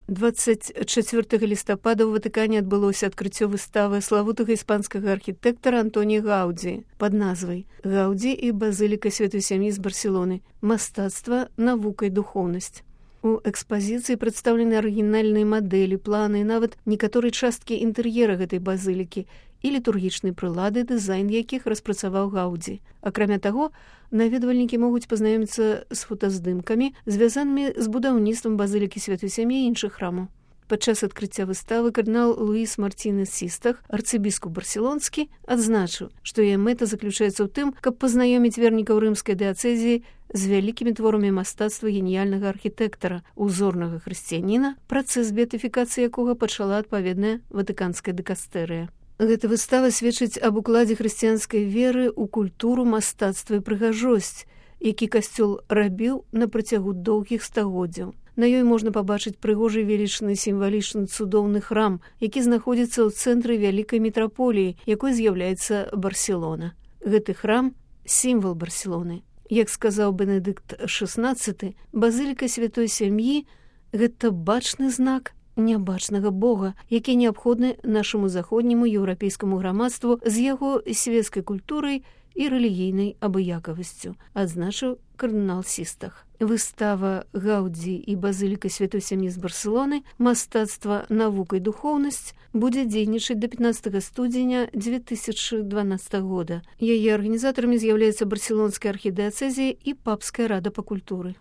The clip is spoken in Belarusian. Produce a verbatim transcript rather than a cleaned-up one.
дваццаць чацвёртага лістапада ў Ватыкане адбылося адкрыццё выставы славутага іспанскага архітэктара Антоніа Гаўдзі пад назвай «Гаўдзі і базыліка Святой Сям'і з Барселоны. Мастацтва, навука і духоўнасць». У экспазіцыі прадстаўлены арыгінальныя мадэлі, планы і нават некаторыя часткі інтэр'ера гэтай базылікі і літургічнай прылады, дызайн якіх распрацаваў Гаўдзі. Акрамя таго, наведвальнікі могуць пазнаёміцца з фотаздымкамі, звязанымі з будаўніцтвам базылікі Святой Сям'і і іншых храмаў. Падчас адкрыцця выставы кардынал Луіс Мартінес Систах, арцыбіскуп барселонскі, адзначыў, што яе мэта заключаецца ў тым, каб пазнаёміць вернікаў рымскай дыяцэзіі з вялікімі творамі мастацтва геніяльнага архітэктара, узорнага хрысціяніна, працэс беатыфікацыі якога пачала адпаведная ватыканская дыкастэрыя. Гэта выстава сведчыць аб укладзе хрысціянскай веры ў культуру, мастацтва і прыгажосць, які касцёл рабіў на працягу доўгіх стагоддзяў. На ёй можна пабачыць прыгожы, велічны, сімвалічны, цудоўны храм, які знаходзіцца ў цэнтры вялікай метраполіі, якой з'яўляецца Барселона. Гэты храм – сімвал Барселоны. Як сказаў Бенедыкт шаснаццаты, базыліка Святой Сям'і – гэта бачны знак нябачнага Бога, які неабходны нашаму заходняму еўрапейскаму грамадству з яго свецкай культурай і рэлігійнай абыякавасцю, адзначыў кардынал Систах. Выстава «Гаўдзі і базыліка Святой Сям'і з Барселоны. Мастацтва, навука і духоўнасць» будзе дзейнічаць да пятнаццатага студзеня дзве тысячы дванаццатага года. Яе арганізатарамі з'яўляецца барселонская архідыяцэзія і папская рада па культуры.